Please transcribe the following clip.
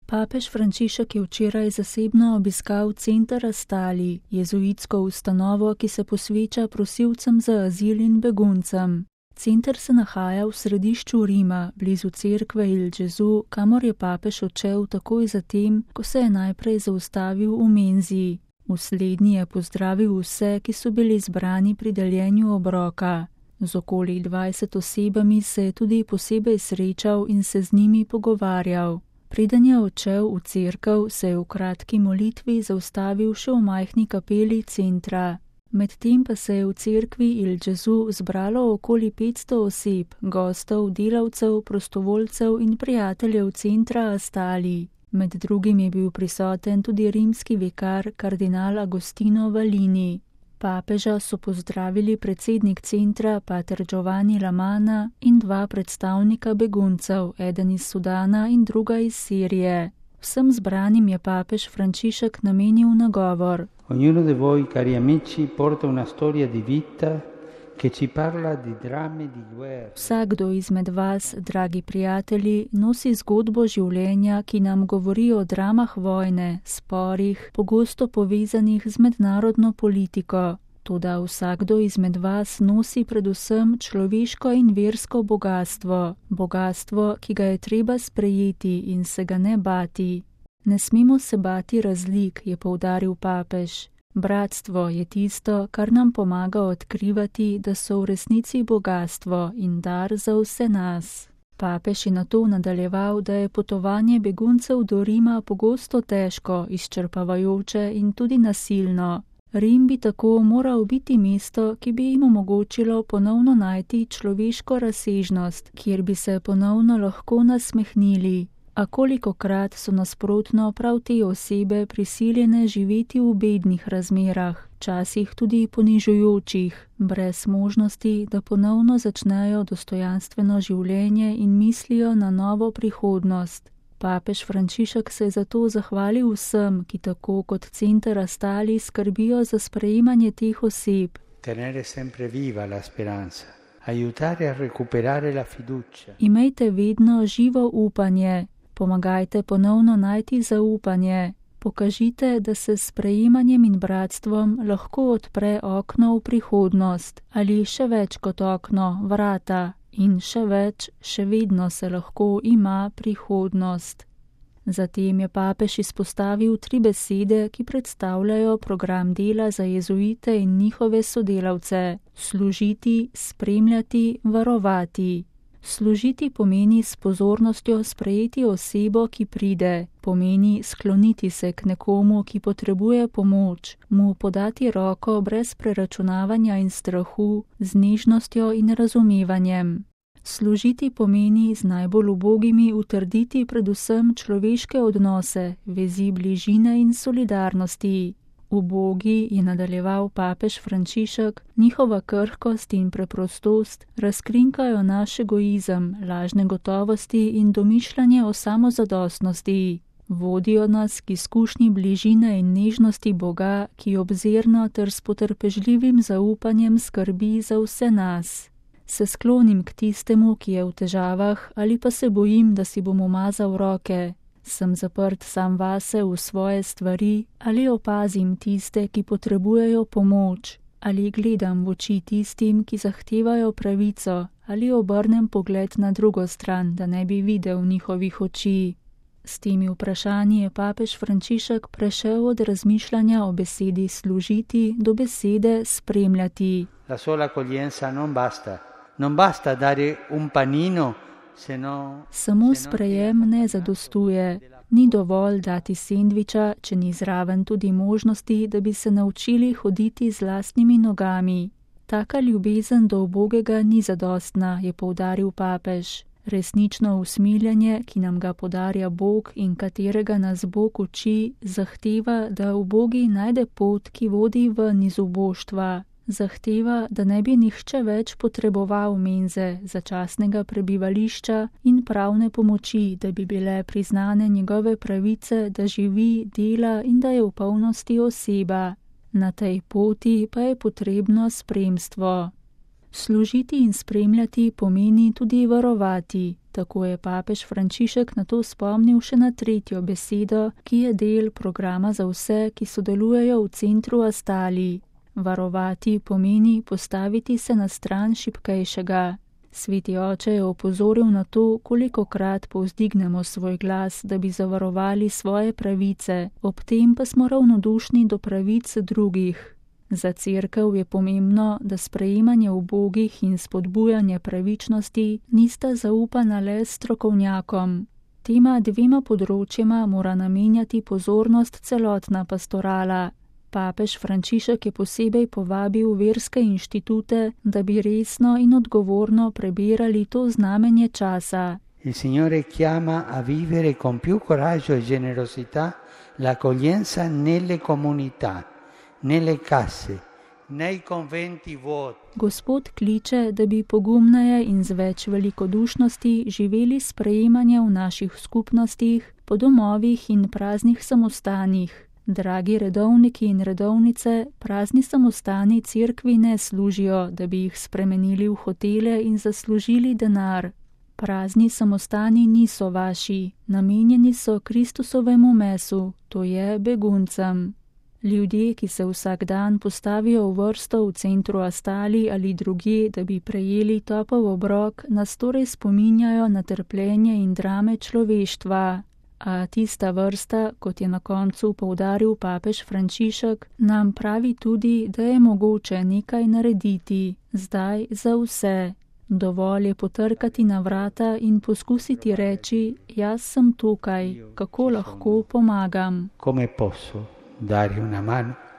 Papež Frančišek je včeraj zasebno obiskal Center Astali, jezuitsko ustanovo, ki se posveča prosilcem za azil in beguncem. Center se nahaja v središču Rima, blizu cerkve Il Gesù, kamor je papež odšel takoj zatem, ko se je najprej zaustavil v menzi. V slednji je pozdravil vse, ki so bili zbrani pri deljenju obroka. Z okoli 20 osebami se je tudi posebej srečal in se z njimi pogovarjal. Preden je odšel v cerkev, se je v kratki molitvi zaustavil še v majhni kapeli centra. Medtem pa se je v cerkvi Il Gesù zbralo okoli 500 oseb, gostov, delavcev, prostovoljcev in prijateljev centra Astali. Med drugim je bil prisoten tudi rimski vikar kardinal Agostino Valini. Papeža so pozdravili predsednik centra pater Giovanni Lamana in dva predstavnika beguncev, eden iz Sudana in druga iz Sirije. Vsem zbranim je papež Frančišek namenil nagovor. Ognuno di voi, cari amici, porta una storia di vita che ci parla di drammi di guerra. Vsakdo izmed vas, dragi prijatelji, nosi zgodbo življenja, ki nam govori o dramah vojne, sporih, pogosto povezanih z mednarodno politiko. Toda vsakdo izmed vas nosi predvsem človeško in versko bogastvo, bogastvo, ki ga je treba sprejeti in se ga ne bati. Ne smemo se bati razlik, je poudaril papež. Bratstvo je tisto, kar nam pomaga odkrivati, da so v resnici bogastvo in dar za vse nas. Papež je nato nadaljeval, da je potovanje beguncev do Rima pogosto težko, izčrpavajoče in tudi nasilno. Rim bi tako moral biti mesto, ki bi jim omogočilo ponovno najti človeško razsežnost, kjer bi se ponovno lahko nasmehnili. A kolikokrat so nasprotno prav te osebe prisiljene živeti v bednih razmerah, včasih tudi ponižujočih, brez možnosti, da ponovno začnejo dostojanstveno življenje in mislijo na novo prihodnost. Papež Frančišek se je zato zahvalil vsem, ki tako kot Center Astali skrbijo za sprejemanje teh oseb. Tenere sempre viva la speranza, aiutare a recuperare la fiducia. Imejte vedno živo upanje. Pomagajte ponovno najti zaupanje. Pokažite, da se s sprejemanjem in bratstvom lahko odpre okno v prihodnost, ali še več kot okno, vrata, in še več, še vedno se lahko ima prihodnost. Zatem je papež izpostavil 3 besede, ki predstavljajo program dela za jezuite in njihove sodelavce: služiti, spremljati, varovati. Služiti pomeni s pozornostjo sprejeti osebo, ki pride, pomeni skloniti se k nekomu, ki potrebuje pomoč, mu podati roko brez preračunavanja in strahu, z nežnostjo in razumevanjem. Služiti pomeni z najbolj ubogimi utrditi predvsem človeške odnose, vezi bližine in solidarnosti. Ubogi, je nadaljeval papež Frančišek, njihova krhkost in preprostost razkrinkajo naš egoizem, lažne gotovosti in domišljanje o samozadostnosti. Vodijo nas k izkušnji bližine in nežnosti Boga, ki obzirno ter s potrpežljivim zaupanjem skrbi za vse nas. Se sklonim k tistemu, ki je v težavah, ali pa se bojim, da si bom umazal roke. Sem zaprt sam vase v svoje stvari, ali opazim tiste, ki potrebujejo pomoč, ali gledam v oči tistim, ki zahtevajo pravico, ali obrnem pogled na drugo stran, da ne bi videl njihovih oči. S temi vprašanji je papež Frančišek prešel od razmišljanja o besedi služiti do besede spremljati. La sola accoglienza non basta dare un panino. Samo sprejem ne zadostuje. Ni dovolj dati sendviča, če ni zraven tudi možnosti, da bi se naučili hoditi z lastnimi nogami. Taka ljubezen do ubogega ni zadostna, je poudaril papež. Resnično usmiljanje, ki nam ga podarja Bog in katerega nas Bog uči, zahteva, da ubogi najde pot, ki vodi ven iz uboštva. Zahteva, da ne bi nihče več potreboval menze, začasnega prebivališča in pravne pomoči, da bi bile priznane njegove pravice, da živi, dela in da je v polnosti oseba. Na tej poti pa je potrebno spremstvo. Služiti in spremljati pomeni tudi varovati. Tako je papež Frančišek na to spomnil še na tretjo besedo, ki je del programa za vse, ki sodelujejo v centru Astali. Varovati pomeni postaviti se na stran šibkejšega. Sveti oče je opozoril na to, kolikokrat povzdignemo svoj glas, da bi zavarovali svoje pravice, ob tem pa smo ravnodušni do pravic drugih. Za cerkev je pomembno, da sprejemanje ubogih in spodbujanje pravičnosti nista zaupana le strokovnjakom. Tema dvema področjema mora namenjati pozornost celotna pastorala. Papež Frančišek je posebej povabil verske inštitute, da bi resno in odgovorno prebirali to znamenje časa. Il Signore chiama a vivere con più coraggio e generosità l'accoglienza nelle comunità, nelle case, nei conventi vuoti. Gospod kliče, da bi pogumneje in z več velikodušnosti živeli sprejemanje v naših skupnostih, po domovih in praznih samostanih. Dragi redovniki in redovnice, prazni samostani cerkvi ne služijo, da bi jih spremenili v hotele in zaslužili denar. Prazni samostani niso vaši, namenjeni so Kristusovemu mesu, to je beguncem. Ljudje, ki se vsak dan postavijo v vrsto v centru Astali ali drugje, da bi prejeli topel obrok, nas torej spominjajo na trpljenje in drame človeštva. A tista vrsta, kot je na koncu poudaril papež Frančišek, nam pravi tudi, da je mogoče nekaj narediti, zdaj za vse. Dovolj je potrkati na vrata in poskusiti reči, jaz sem tukaj, kako lahko pomagam. Come posso dare una mano?